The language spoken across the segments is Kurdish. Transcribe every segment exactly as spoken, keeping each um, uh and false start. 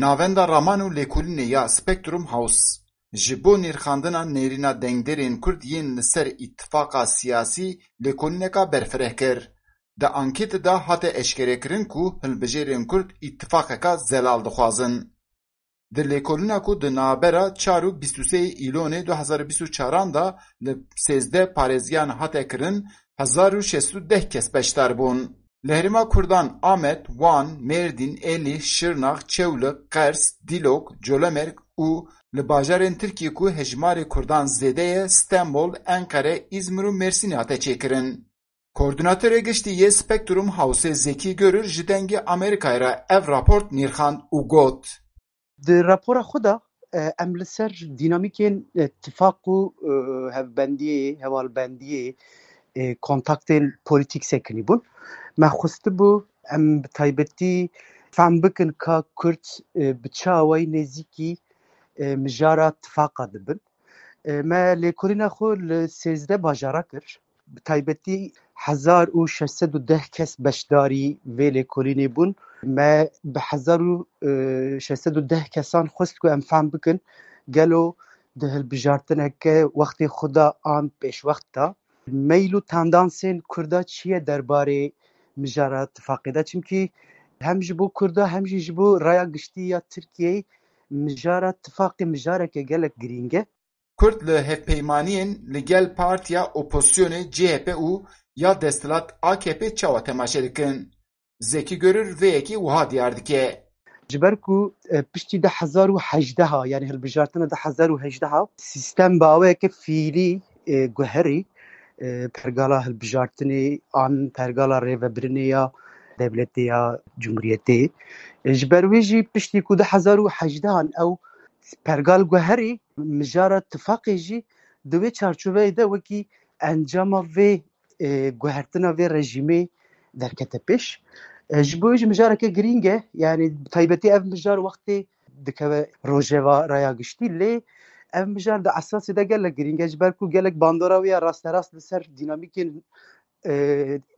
Navenda raman û lêkolînê ya Spectrum House ji bo nirxandina nêrîna dengdêrên Kurd yên li ser îtifaqa siyasî lêkolîneka berfireh kir. Di anketê de hate eşkerekirin ku hilbijêrên Kurd îtifaqeka zelal dixwazin. Di lêkolîna ku di navbera çar û bîst û sê Îlonê du hezar û bîst û çaran de li sêzdeh parêziyan hate kirin, hezar û şeş sed û deh kes beşdar bûn. Li herêma Kurdan Amed, Wan, Mêrdîn, Êlih, Şirnax, Çewlik, Qers, Dîlok, Colemêrg û li bajarên Tirkiyê ku hejmarê Kurdan zêde ye, Stenbol, Enqere, Îzmir û Mêrsînê hate çêkirin. Koordînatorê giştî yê Spectrum Houseê Zekî Görür ji Dengê Amerîkayê re ev raport nirxand û got: Di rapora xwe de, e, em li ser dînamîkên, e, tifaq û, e, hevbendiyê, hevalbendiyê, e, kontaktên polîtîk sekinî bûn. Me xwestibû em bi taybetî fehm bikin ka Kurd, e, bi çi awayî nêzîkî, e, mijara tifaqa dibin. E, me lêkolîna xwe li sêzdeh bajara kir. Bi taybetî hezar û şeş sed û deh kes beşdarî vê lêkolînê bûn. Me bi hezar û şeş sed û deh kesan xwest ku em fehm bikin gelo di hilbijartineke wextê xwe de an pêşwext de meyl û tendansên Kurda çi ye derbarê mijara tifaqê de? Çimkî hem ji bo Kurda hem jî ji bo raya giştî ya Tirkiyeyê mijara tifaqê mijareke gelek girîng e. Kurd li hevpeymaniyên li gel partiya opozisyonê C H P û ya desthilat A K P çawa temaşe dikin? Zekî Görür vê yekê wiha diyar dike. Ji ber ku, e, piştî du hezar û hejdeh, yanî hilbijartina du hezar û hejdeh, sîstem bi awayeke fiîlî, e, guherî, e, pergala hilbijartinê an pergala rêvebirinê ya dewletê ya cumhuriyetê. E, ji ber wê jî piştî ku du hezar û hejdeh an ew pergal guherî, mijara tifaqê jî di wê çarçoveyê de wekî encama vê, e, guhertina vê rejîmê derkete pêş. E, ji bo wê jî mijareke girîng e, yanî bi taybetî ev mijar wextê dikeve rojeva raya giştî, lê ev mijar di esasê de gelek girîng e, ji ber ku gelek bandora wê ya rasterast li ser dînamîkên, e,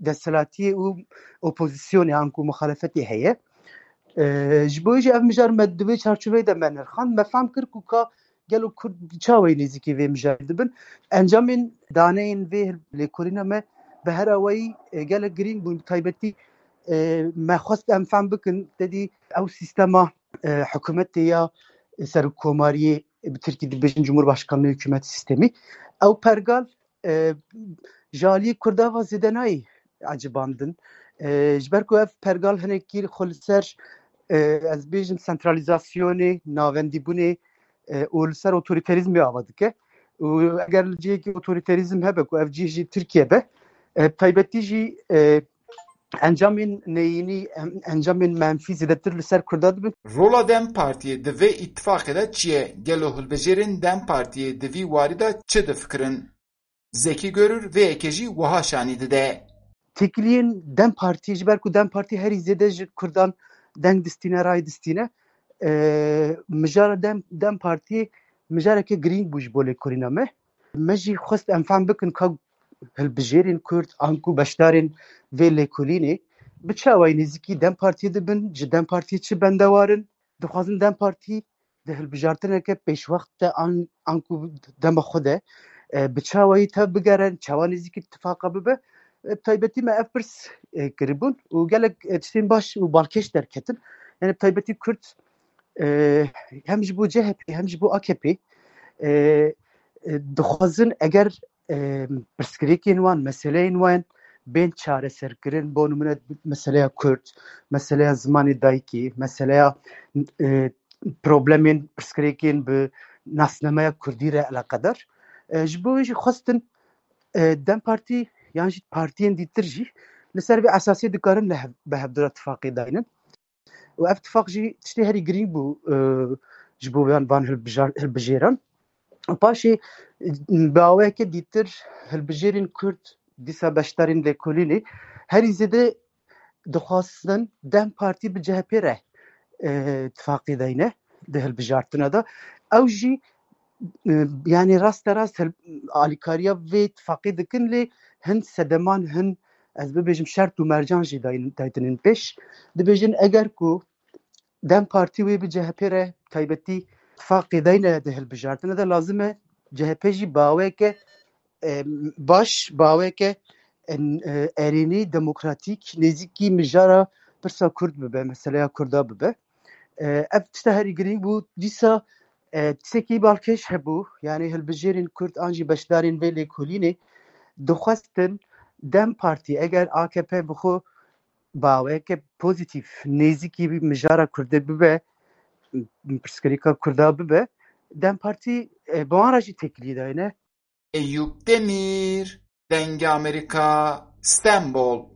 desthilatiyê û opozisyonê an ku muxalefetê heye. E, ji bo wê jî ev mijar me di vê çarçoveyê de me nirxand, me fehm kir ku ka gelo Kurd çawayî nêzîkî vê mijarê dibin. Encamên daneyên vê lêkolîna me bi her awayî, e, gelek girîng bûn. Bi taybetî, e, me xwest em fehm bikin, te dî ew sîstema, e, hikûmetê ya serokkomariyê, bi tirkî dibêjin Cumhurbaşkanlığı hükümet sistemi. Ew pergal, e, ji aliyê Kurda ve zêde nayê ecibandin. E, ji ber ku ev pergal hinekî xwe li ser, e, ez bêjim sentralizasyonê, navendîbûnê, e, û li ser otorîterîzmê ava dike. Û eger li cihekî otorîterîzm hebe ku ev cih jî Tirkiye be, e, bi taybetî jî, e, encamên neyînî, em, encamên menfî zêdetir li ser Kurda dibin. Rola DEM Partiyê di vê îtifaqê de çi ye? Gelo hilbijêrên DEM Partiyê di vî warî de çi difikirin? Zekî Görür vê yekê jî wiha şanî dide. Têkiliyên DEM Partiyê, ji ber ku DEM Partî herî zêde ji Kurdan deng distîne, ray distîne, e, mijara DEM, DEM Partiyê mijareke girîng bû ji bo lêkolîna me. Me jî xwest em fehm bikin ka hilbijêrên Kurd anku beşdarên vê lêkolînê bi çi awayî nêzîkî DEM Partiyê dibin, ji DEM Partiyê çi bendewar in, dixwazin DEM Partî di hilbijartineke pêşwext de an, anku dema xwe de, e, bi çi awayî tev bigerin, çawa nêzîkî tifaqa bibe. E, bi taybetî me ev pirs, e, kiribûn û gelek, e, tiştên baş û balkêş derketin. Yani bi taybetî Kurd, e, hem ji bo C H P hem ji bo A K P, e, e, dixwazin eger, e, pirsgirêkên wan, meseleyên wan bên çareserkirin, bo nimûne meseleya Kurd, meseleya zimanê dayikê, meseleya, e, problemên pirsgirêkên bi nasnameya Kurdî re eleqedar. E, ji bo wê jî xwestin, e, DEM Partî yan jî partiyên dîtir jî li ser vê esasê dikarin li hev-, bi hevdira tifaqê daynin. Û ev tifaq jî tiştê herî girîng bû, e, ji bo van, van hilbijar-, hilbijêran. Û paşê, e, bi awayeke dîtir hilbijêrên Kurd, dîsa beşdarên lêkolînê, herî zêde dixwastin DEM Partî bi C H P re, e, tifaqê dayne di hilbijartina de. Ew jî, e, yani raste rast hil-, alîkariya vê tifaqê dikin, lê hin sedeman, hin, ez bibêjim, şert û mercan jî dayin-, daytinin pêş. Dibêjin eger ku DEM Partî wê bi C H P re taybetî tifaqê dayne de hilbijartine de lazim e C H P jî baweke e, baş, baweke e, e, erênî, demokratîk, nêzîkî mijara pirsa Kurd bibe, meseleya Kurda bibe. E, ev tişta herî girîng bû. Dîsa e, tiştekî balkêş hebû, yanî hilbijêrên Kurd an jî beşdarên vê lêkolînê dixwestin DEM Partî, eger A K P bi xwe baweke pozîtîf, nêzîkî mijara Kurdê bibe, pirsgirêka Kurda bibe, DEM Partî e, bi wan re jî têkilî dayne. Eyüp Demir, Dengê Amerîka, Stenbol.